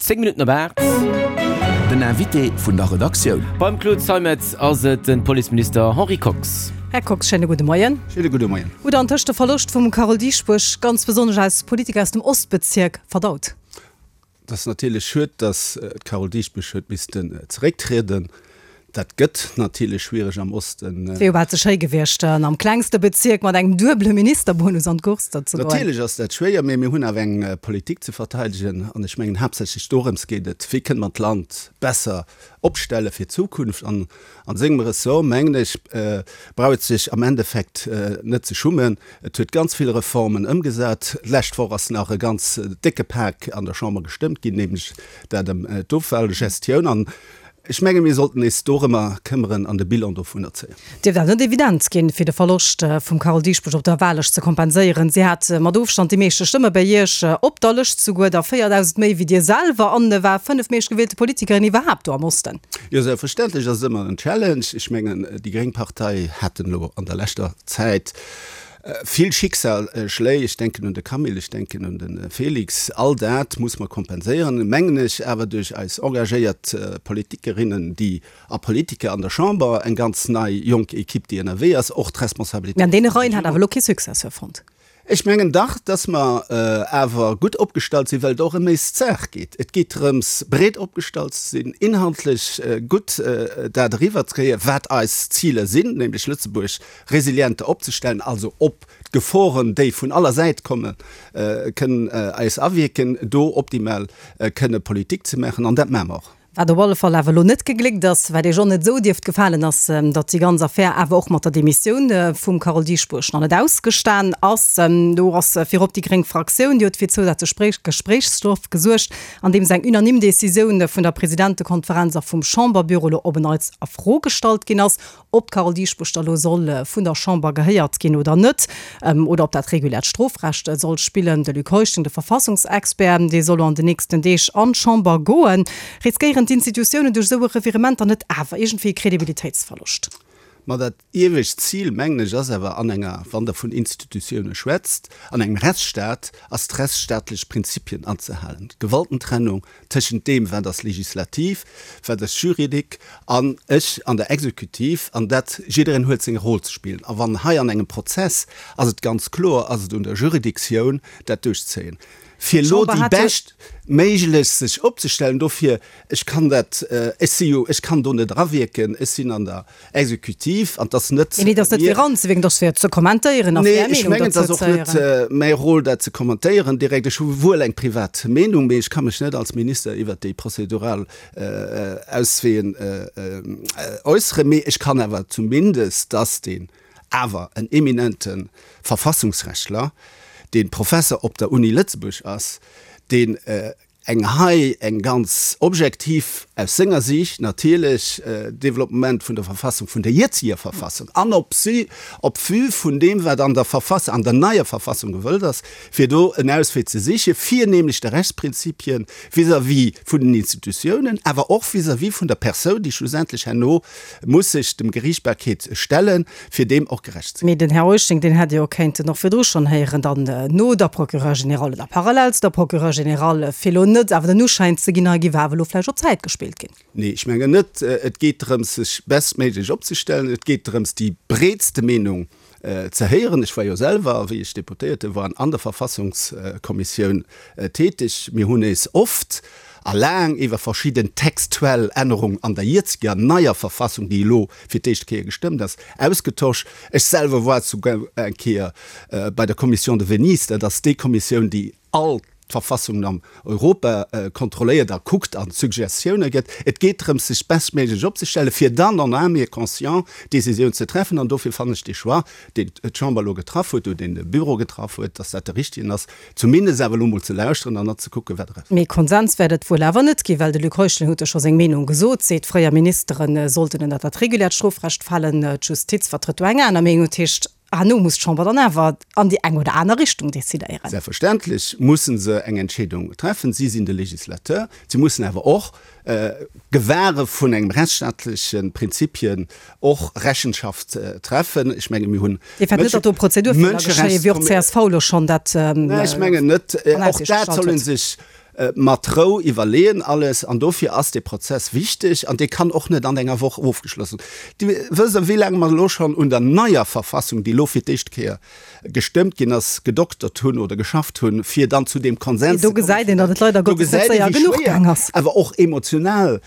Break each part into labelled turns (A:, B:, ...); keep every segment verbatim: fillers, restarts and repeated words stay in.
A: Zéng Minutten op aacht.
B: Den Invité vun der Redaktioun.
A: Beim Claude Zeimetz ass et de Policeminister Henri Kox.
C: Här Kox, schéine gudde Moien.
D: Schéine gudde Moien.
C: Hutt Der antëscht de Verloscht vum Carole Dieschbourg, ganz besonnesch als Politiker aus dem Ostbezierk, verdaut?
D: Et ass natierlech schued, datt d'Carole Dieschbourg huet missten zerécktrieden. Dat gëtt natierlech schwiereg am Osten.
C: Et wier jo bal ze schéi gewiescht, am klengste Bezierk mat engem duebele Ministerbonus an d'Course ze goen.
D: Natierlech ass dat schwéier, mee mir hunn awer eng Politik ze verteidegen. An ech mengen, haaptsächlech dorëms geet et, Wéi kënne mer d'Land besser opstelle fir d'Zukunft? An a sengem Ressort, mengen ech, brauch et sech am Endeffekt net ze schummen. Et huet ganz vill Reformen ëmgesat. D'lescht Woch ass nach e ganz décke Pak an der Chamber gestëmmt ginn, nämlech dat ëm d'Offallgestioun. An Ech menge mir sollten eis dorëmmer këmmeren an de Bilan dovunner zéien.
C: Dierft awer net evident ginn, fir de Verloscht vum Carole Dieschbourg op der Wahllëscht ze kompenséieren. Si hat mat Ofstand déi meeschte Stëmme bei Iech op der Lëscht, souguer der véierdausend méi wéi Dir selwer, an war fënnefmeeschtgewielte Politikerin iwwerhaapt do am Osten.
D: Jo, selbstverständlech ass et ëmmer en Challenge. Ech mengen, déi gréng Partei haten elo an der leschter Zäit Vill Schicksalsschléi, ech denken un de Camille, ech denken un de Félix, all dat muss mer kompenséieren, mengen ech, awer duerch eis engagéiert Politikerinnen, déi a Politiker an der Chamber, eng ganz nei jonk Equipe, déi ënnerwee ass, och d'Responsabilitéit.
C: Mä an deene Reien hat awer elo kee Successeur fonnt.
D: Ech mengen dach, dass mer awer gutt opgestallt sinn, well et och ëm éis Saach geet. Et geet drëms, breet opgestallt ze sinn, inhaltlech gutt dat eriwwerzekréien, wat eis Ziler sinn, nämlech Lëtzebuerg resilienter opzestellen, also op d'Geforen, déi vun aller Säit kommen, kënnen eis awierken, do optimal kënne Politik ze maachen. An dat maache mer och.
C: Wat op alle Fall awer elo net gegléckt ass, wat Iech och net esou dierft gefalen, ass, datt déi ganz Affär awer och mat der Demissioun vum Carole Dieschbourg nach net ausgestan ass. Do ass virop déi gréng Fraktioun, déi huet fir zousätzlech Gespréichsstoff gesuergt, andeems eng unanime Decisioun vun der Presidentekonferenz a vum Chamberbüro elo op en Neits a Fro gestallt ginn ass. Ob d'Carole Dieschbourg da lo soll vun der Chamber gehéiert ginn oder net, oder ob dat reguläert Strofrecht soll spillen, de Luc Heuschling, de Verfassungsexpert, dee soll lo an den nächsten Deeg an d'Chamber goen. Riskéieren d'Institutiounen duerch esou e Revirement dann net awer iergendwéi e Kredibilitéitsverloscht?
D: Ma dat iewescht Zil, mengen ech, ass awer an enger, wann Der vun Institutioune schwätzt, an engem Rechtsstaat, ass d'rechtsstaatlech Prinzipien anzehalen, d'Gewaltentrennung tëschent deem, wat ass legislativ, wat ass juridique an ech an der Exekutiv, an dat jiddereen huet seng Roll ze spillen. A wann hei an engem Prozess, ass et ganz kloer, ass et un der Juridictioun, dat duerchzéien, fir elo déi bescht méiglech sech opzestellen. Dofir, ech kann dat, ech si jo, ech kann do net erawierken, ech sinn an der Exekutiv an 't ass net
C: Nee, dat ass net fir eranzewierken, dat ass fir ze kommentéieren a fir
D: Nee,
C: Är
D: ech
C: Meenung
D: mengen, et
C: dozou
D: ass
C: ze
D: och net
C: héieren.
D: mäi Rôle, dat ze kommentéieren direkt. Ech hu wuel eng privat Meenung, mee ech ka mech net als Minister iwwert déi prozedural Ausween äusseren. Mee ech kann awer zumindest, dass deen awer en eminente Verfassungsrechtler, dee Professer op der Uni Lëtzebuerg ass, deen eng hei eng ganz objektiv, aus senger Siicht natierlech, Développement vun der Verfassung, vun der jetziger Verfassung an op si, op vue vun deem wat an der Verfass-, an der neier Verfassung gewëllt ass, fir do en Auswee ze sichen, fir nämlech de Rechtsprinzipien vis-à-vis vun den Institutiounen, awer och vis-à-vis vun der Persoun, déi schlussendlech herno muss sech dem Geriichtbarkeet stellen, fir deem och gerecht ze ginn.
C: Mee den Här Heuschling, deen hätt Dir jo kéinten och virdru schonn héieren, dann no der Procureure générale oder parallel zu der Procureure générale, fir elo net awer den Uschäin ze ginn, hei géif awer elo vläicht op Zäit gespillt ginn.
D: Nee, ech mengen net. Et geet drëms, sech bestméiglech opzestellen. Et geet drëms, déi breetste Meenung ze héieren. Ech war jo selwer, wéi ech Deputéierte war, an der Verfassungskommissioun tätig. Mir hunn eis oft a laang iwwer verschidden textuell Ännerungen an der jetziger neier Verfassung, déi elo fir d'éischt Kéier gestëmmt ass, ausgetosch. Ech selwer war souguer eng Kéier bei der Commission de Venise, dat ass déi Kommissioun, déi all d'Verfassungen an Europa kontrolléiert a kuckt a Suggestioune gëtt. Et geet drëms, sech bestméiglech opzestellen, fir dann en âme et conscience Décisioun ze treffen. An dofir fannen ech dee Choix, deen d'Chamber elo getraff huet, oder deen de Büro getraff huet, dass dat de richtegen ass, zumindest awer elo mol ze lauschteren an net ze kucken, wat eraus.
C: Mee Konsens wäert et wuel awer net ginn, well de Luc Heuschling huet jo scho seng Meenung gesot, seet, fréier Ministere sollten ënnert dat reguläert Strofrecht falen, d'Justiz vertrëtt do eng aner Meenung. Dat heescht, herno muss d'Chamber dann awer an déi eng oder aner Richtung decidéieren.
D: Selbstverständlech musse se eng Entscheedung treffen. Si sinn de Législateur. Si mussen awer och gewahre vun engem rechtsstaatleche Prinzipien och Rechenschaft treffen. Ech menge mir hunn
C: Dir fäert net, datt do Prozedurfeeler geschéien, wéi och d'CSV elo schonn dat
D: Ech mengen net.
C: an
D: Och
C: Aussiicht
D: dat
C: gestallt
D: soll ee
C: huet?
D: sech mat Rou iwwerleeën alles an dofir ass dee Prozess wichteg an dee kann och net an enger Woch ofgeschlossen. Dir wësst wéi laang mer elo schonn un der neier Verfassung, déi elo fir d'éischt Kéier gestëmmt ginn ass, gedoktert hunn oder geschafft hunn, fir dann zu deem Konsens
C: ze kommen. Do gesäit een, datt et leider Gottes net séier genuch gaang ass.
D: Awer och emotional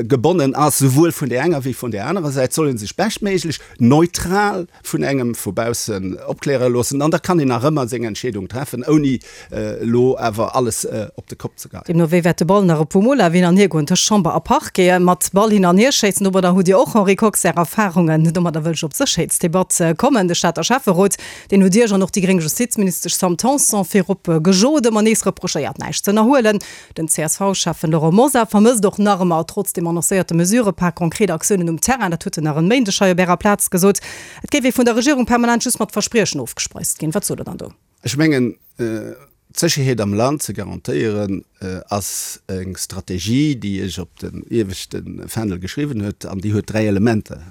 D: gebonnen ass, souwuel vun där enger wéi vun där anerer Säit, soll ee sech beschtméiglech neutral vun engem vu baussen opkläre loossen an da kann een nach ëmmer seng Entscheedung treffen, ouni elo awer alles op de Kopp ze geheien.
C: Deemno wéi wäert de Ball nach e puer Mol awer hin an hier goen tëscht Chamber a Parquet. Mat Ball hin an hier schéissen, domadder hutt Dir och, Henri Kox, Är Erfarungen. Domadder wëll ech op d'Sécherheetsdebatt kommen. De Stater Schäfferot, deen hutt Iech an och déi gréng Justizministesch Sam Tanson virop gejot, ëmmer nees reprochéiert näischt ze ënnerhuelen. Den C S V-Schäffen Laurent Mosar vermësst och nach ëmmer, trotz dem annoncéierte Mesurëpak, konkret Aktiounen um Terrain. Dat huet en nach en Méindeg hei op Ärer Plaz gesot. Et géif ee vun der Regierung permanent just mat Verspriechen ofgespeist ginn. Wat sot Der dann do?
D: Ech mengen, d'Sécherheet am Land ze garantéieren, ass eng Strategie, déi ech op den ieweschte Fändel geschriwwen huet, an déi huet dräi Elementer.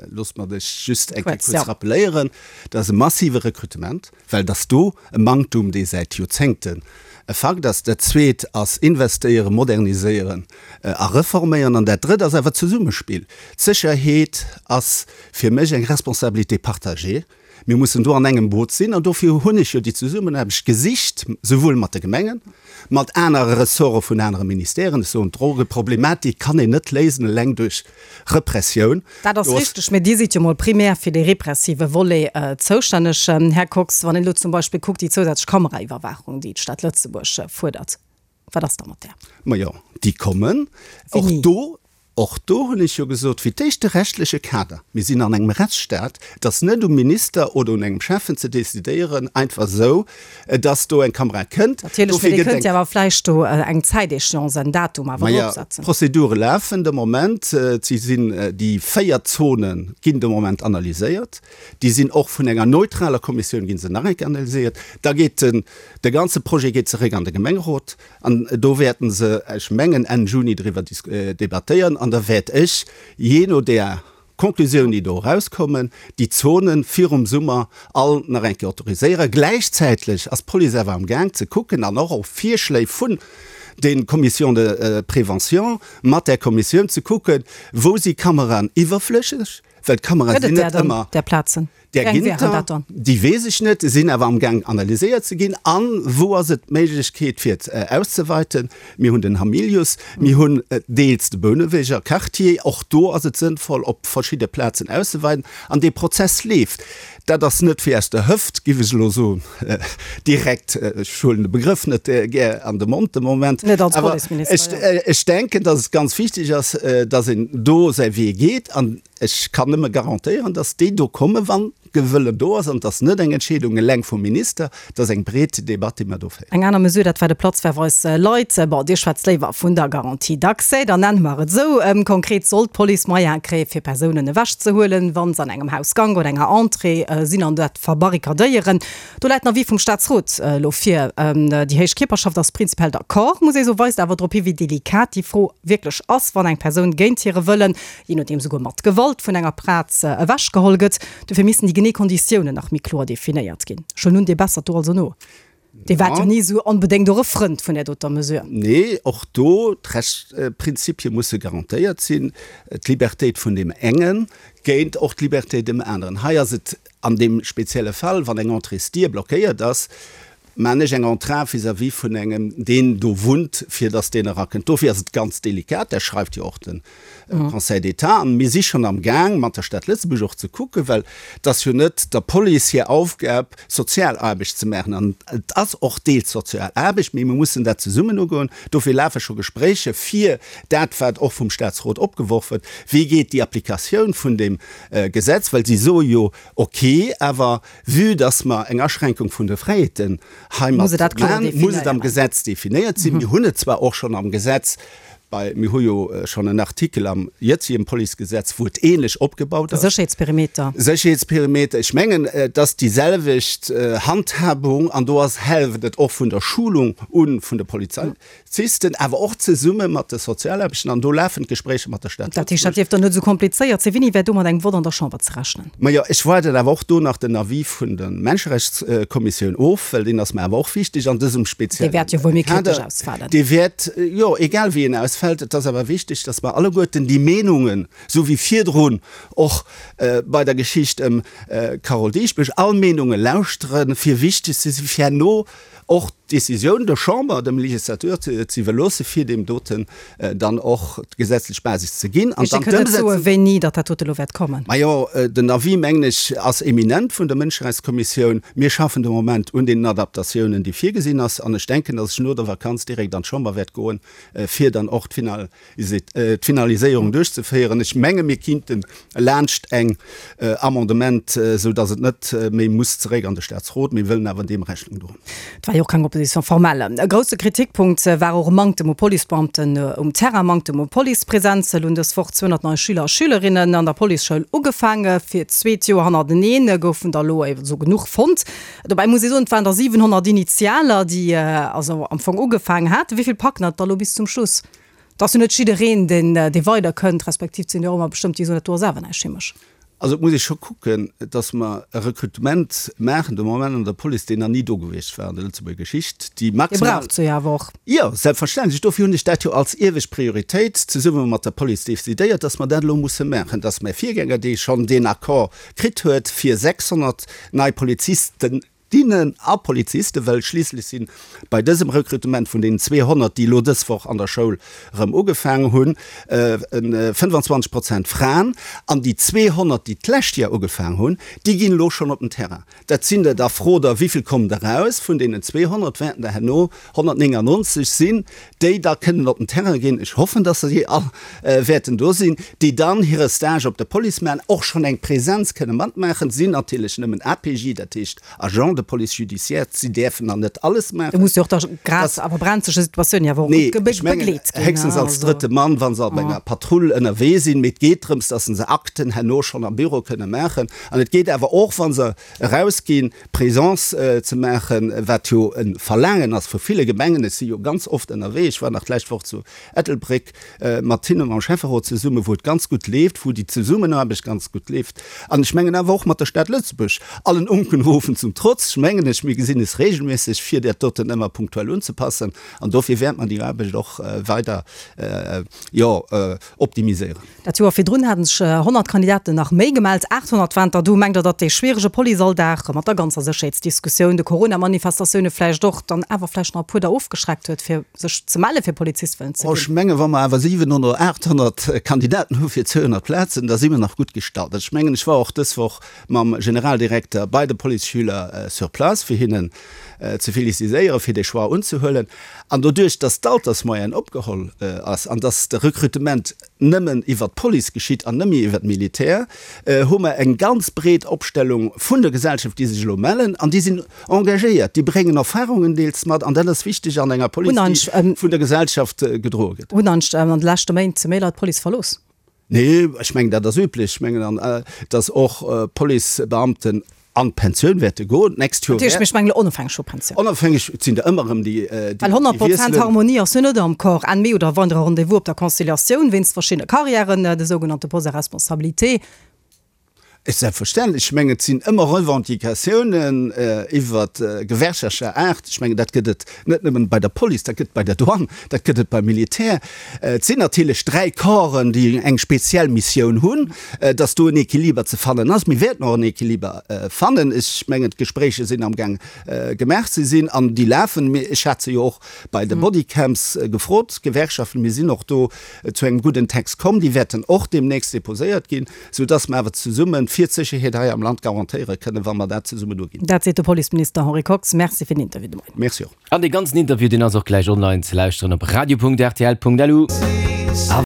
D: Loosst mer dech just eng Kéier kuerz rappeléieren. Dat ass e massive Rekrutement, well et ass do e Manktum, dee säit Joerzéngten e Fakt ass. Dat Zweet ass investéieren, moderniséieren a reforméieren. An dat Drëtt ass awer d'Zesummespill. D'Sécherheet ass fir mech eng Responsabilité partagée. Mir mussen do an engem Boot sinn an dofir hunn ech jo déi Zesummenaarbecht gesicht, souwuel mat de Gemengen, mat anere Ressorte vun anere Ministèren. Ech soen, d'Drogeproblematik kann een net léisen eleng duerch Repressioun.
C: Dat ass richteg, mä Dir sidd jo mol primär fir dee repressive Volet zoustänneg, Här Kox. Wann een elo zum Beispill kuckt, déi zousätzlech Kameraiwwerwaachung, déi d'Stad Lëtzebuerg fuerdert, wat ass da mat där?
D: Majo, déi kommen. Och do Och do hunn ech jo gesot, fir d'éischt de rechtleche Kader. Mir sinn an engem Rechtsstaat. Et ass net um Minister oder un engem Schäffen ze decidéieren, einfach esou, dass do eng Kamera kënnt.
C: Natierlech, mee Dir kënnt jo awer vläicht do eng Zäitéchéance, en Datum awer
D: Maja,
C: dropsetzen.
D: d'Prozedure lafen de Moment. Si sinn, déi véier Zone ginn de Moment analyséiert. Déi sinn och vun enger neutraler Kommissioun gi se nach eng Kéier analyséiert. Da geet den, de ganze Projet geet zeréck an de Gemengerot. An do wäerten se, ech mengen Enn Juni, driwwer debattéieren. An da wäert ech, jee no där Konklusioun, déi do erauskommen, déi Zonen virum Summer all nach eng Kéier autoriséieren. Gläichzäitlech ass d'Police awer am Gaang ze kucken, an och op Virschléi vun de Commissions de prévention, mat där Kommissioun ze kucken, wou si Kameraen iwwerflësseg, well d'Kamerae
C: Gëtt
D: sinn
C: et där
D: net
C: dann,
D: ëmmer.
C: där Plazen?
D: Där
C: Wéi eng
D: ginn
C: wären
D: der,
C: dat dann?
D: déi weess ech net, sinn awer amgaang analyséiert ze ginn. A wou ass et d'Méiglechkeet fir et auszeweiten? Mir hunn den Hamilius, mir hunn deels de Bouneweger Quartier, och do ass et sënnvoll op verschidde Plazen auszeweiden. An dee Prozess leeft. Dat ass net fir aus der Hëft, giff ech elo soen, direkt, ech huelen de Begrëff net gär an de Mond de Moment,
C: Net als
D: awer
C: Policeminister, jo.
D: ech denken, datt et ganz wichteg ass, datt een do säi Wee geet. An Ech kann nëmme garantéieren, dass déi do kommen, wann de Wëllen do ass. An et ass net eng Entscheedung eleng vum Minister, et ass eng breet Debatt, déi mer do féieren.
C: Eng aner Mesure, dat war de Platzverweis Leit. Bon, Dir schwätzt léiwer vun der Garantie d'accès, dann nenne mer et esou. Konkret soll d'Police Moyene kréien, fir Persounen ewechzehuelen, wa se an engem Hausgank oder enger Entrée sinn an dat verbarrikadéieren. Do läit den Avis vum Staatsrot elo vir. Déi héich Kierperschaft ass prinzipiell d'accord, muss ee soen, weist awer drop hi wéi delikat déi Fro wierklech ass, wann eng Persoun géint hire Wëllen, jee nodeem souguer mat Gewalt, vun enger Plaz ewechgeholl gëtt. Dofir missten déi genee Konditiounen nach méi kloer definéiert ginn. Ech huelen un, Dir bessert do also no. Dir waart jo ni esou onbedéngt och e Frënd vun där doter Mesure.
D: Nee, och do, d'Rechtsprinzipie musse garantéiert sinn, d'Libertéit vun deem engen géint och d'Libertéit deem aneren. Hei ass et an deem spezielle Fall, wann eng Entréesdier blockéiert ass, Maan ech eng Entrave vis-à-vis vun engem, deen do wunnt, fir dass deen erakënnt. Dofir ass et ganz delikat, dat schreift jo och de Conseil d'État. An mir si schonn am Gaang, mat der Stad Lëtzebuerg och ze kucken, well et ass jo net der Police hir Aufgab, Sozialaarbecht ze maachen. An et ass och deels Sozialaarbecht, mee mir mussen dat zesummen ugoen. Dofir lafe scho Gespréicher, fir dat, wat och vum Statsrot opgeworf huet, wéi geet déi Applikatioun vun deem Gesetz, well si soe jo, ok, awer vue dass mer eng Aschränkung vun de Fräiheeten
C: Muss
D: heimat
C: et dat kloer
D: maachen, muss et am
C: definéieren.
D: Gesetz definéiert sinn. Mir hunn et zwar och schonn am Gesetz bei, mir hu jo schonn en Artikel am jëtzegen Policegesetz, wou et ähnlech opgebaut ass.
C: Sécherheetsperimeter.
D: Sécherheetsperimeter. Ech mengen, et ass déi selwecht Handhabung an do ass hält et och vun der Schulung un vun de Polizisten, awer och zesumme mat de Sozialaarbechten an do lafen d'Gespréicher mat der Stad
C: Dat heescht, dat
D: Lëtzebuerg.
C: dierft dann net esou komplizéiert sinn. Wéini wär do mat engem Vott an der Chamber ze rechnen?
D: Majo, ech waarden awer och do nach den Avis vun der Menscherechtskommissioun of, well deen ass mer awer och wichteg an dësem
C: Dee
D: speziellen
C: wäert jo wuel méi kritesch
D: Kader.
C: ausfalen.
D: Dee wäert, jo, egal wéi en ausfält, et ass awer wichteg, dass mer alleguerten déi Meenungen, esou wéi virdrun och bei der Geschicht ëm d'Carole Dieschbourg, all Meenunge lauschteren, fir wichteg ze sinn, fir herno och d'Décisioun der Chamber, dem Législateur ze iwwerloosse fir deem doten dann och d'gesetzlech Basis ze ginn an
C: Dir
D: dann
C: kënnt net soen,
D: d'Ëmsetzung.
C: wéini datt dat dote elo wäert kommen?
D: Majo, den Avis, mengen ech, ass eminent vun der Mënscherechtskommissioun. Mir schaffen de Moment un deenen Adaptatiounen, déi virgesinn ass, an ech denken, datt ech no der Vakanz direkt an d'Chamber wäert goen, fir dann och d'Finaliséierung duerchzeféieren. Ech menge mir kinnten laanscht eng Amendement, esou datt et net méi muss zeréck an de Statsrot. Mir wëllen awer deem Rechnung droen.
C: Et war jo och keng Opposition formelle. E grousse Kritikpunkt war och e Manktem u Policebeamten um Terrain, Manktem u Policepresenz. Elo hunn dës Woch zweehonnert nei Schüler a Schülerinnen an der Policeschoul ugefaangen. Fir d'zweet Joer hannerteneen goufen der elo esou genuch fonnt. Dobäi muss ee soen, et waren der siwenhonnert Initialer, déi also am Fong ugefaangen haten. Wéi vill packen et da elo bis zum Schluss? Et ass jo net jiddereen, deen dee weiderkënnt, respektiv et sinn jo och ëmmer bestëmmt, déi soen, dat do ass awer näischt fir mech.
D: Also et muss ee scho kucken, datt mer e Rekrutement maachen de Moment an der Police, deen nach ni do gewiescht war an der Lëtzebuerger Geschicht, déi
C: Dir
D: maximal.
C: braucht se jo awer och.
D: Jo, selbstverständlech. Dofir hunn ech dat jo als iewescht Prioritéit zesumme mat der Police decidéiert, datt mer dat elo musse maachen, datt mäi Virgänger, dee schonn deen Accord kritt huet fir sechshonnert nei Polizisten, Dinnen a Polizisten, well schliisslech si bei dësem Rekrutement vun deenen zweehonnert, déi elo dës Woch an der Schoul erëm ugefaangen hunn, fënnefanzwanzeg Prozent Fraen. An déi zweehonnert, déi d'lescht Joer ugefaangen hunn, déi ginn elo schonn op den Terrain. Dat sinn der da, frot Der, wéi vill kommen der eraus? Vun deenen zweehonnert wäerten der herno honnertnéngannonzeg sinn, déi da kënnen op den Terrain ginn. Ech hoffen, dass se all wäerten do sinn, déi dann hire Stage op der Police maachen, och schonn eng Presenz kënne matmaachen. Sinn natierlech nëmmen A P J, dat heescht Agent de police judiciaire, si däerfen nach net alles
C: Do
D: maachen.
C: muss jo och da grad a brenzleche Situatiounen jo awer och
D: Nee,
C: gutt
D: ech mengen,
C: begleet ginn,
D: héchstens als
C: also.
D: drëtte Mann, wa se op enger Patrull ënnerwee sinn. Mee et geet drëms, dass se Akten herno schonn am Büro kënne maachen. An et geet awer och, wa se erausginn, Présence ze maachen, wat jo e Verlaangen ass vu ville Gemengen. Ech si jo ganz oft ënnerwee, ech war nach d'lescht Woch zu Ettelbréck mat hinne mam Schäfferot zesummen, wou et ganz gutt leeft, wou déi Zesummenaarbecht ganz gutt leeft. An ech mengen awer och mat der Stad Lëtzebuerg, allen Unkenrufen zum Trotz, ech mengen ech, mir gesinn es regelméisseg, fir dat doten ëmmer punktuell unzepassen. An dofir wäert mer déi Aarbecht och weider, jo, optimiséieren.
C: Dat Joer virdrun haten sech honnert Kandidaten nach méi gemellt, aathonnert waren der do. Mengt Der, datt dee schwierege Policealldag mat der ganzer Sécherheetsdiskussioun, de Corona-Manifestatioune vläicht och, dann awer vläicht nach e puer der ofgeschreckt huet, fir sech ze melle fir Polizist wëllen ze
D: Ech
C: ginn?
D: mengen, wa mer awer siwenhonnert oder aathonnert Kandidaten hu fir zweehonnert Plazen, da si mer nach gutt gestallt. Ech mengen, ech war och dës Woch mam Generaldirekter bei de Policeschüler sur place, fir hinnen ze felicitéieren, fir dee Choix unzehuelen. An doduerch, dass d'Altersmoyenne opgeholl ass an dass de Rekrutement nëmmen iwwert d'Police geschitt an net méi iwwert d'Militär, hu mer eng ganz breet Opstellung vun der Gesellschaft, déi sech elo mellen an déi sinn engagéiert, déi bréngen Erfahrungen deels mat an dat ass wichteg an enger Police, déi vun der Gesellschaft gedroe gëtt.
C: Hunn an de leschte Méint méi Leit d'Police verlooss?
D: Nee, ech mengen, dat ass üblech. Ech mengen, dass och Policebeamten an d'Pensioun wäerte goen d'nächst Joer.
C: Dat heescht, ech mengen elo onofhängeg vu Pensioun.
D: Onofhängeg, et sinn der ëmmer erëm, déi
C: wiesselen. Well honnert Prozent Harmonie ass jo net am Corps. Enn Mee oder weidere Rendez-vous op der Conciliatioun wéinst verschiddene Karriären, de sougenannte Poste à responsabilité.
D: Selbstverständlech. Ech mengen, et sinn ëmmer Revendicatiounen iwwer gewerkschaftlecher Aart. Ech mengen, dat gëtt et net nëmmen bei der Police, dat gëtt et bei der Douane, dat gëtt et beim Militär. Et sinn natierlech dräi Corpsen, déi eng speziell Missioun hunn, dass do en Equiliber ze fannen ass. Mir wäerten och en Equiliber fannen. Ech mengen, d'Gespréicher sinn amgaang gemaach ze sinn an déi lafen. Ech hat se jo och bei de Bodycams gefrot, d'Gewerkschaften. Mir sinn och do zu engem gudden Text komm. Déi wäerten och deemnächst deposéiert ginn, soudass mer awer zesumme fir d'Sécherheet hei am Land garantéiere kënnen, wa mer dat zesummen uginn.
C: Dat seet de Policeminister Henri Kox. Merci fir den Interview de Moien.
D: Merci och.
A: An dee ganzen Interview, deen ass och gläich online ze lauschteren op radio Punkt rtl Punkt lu.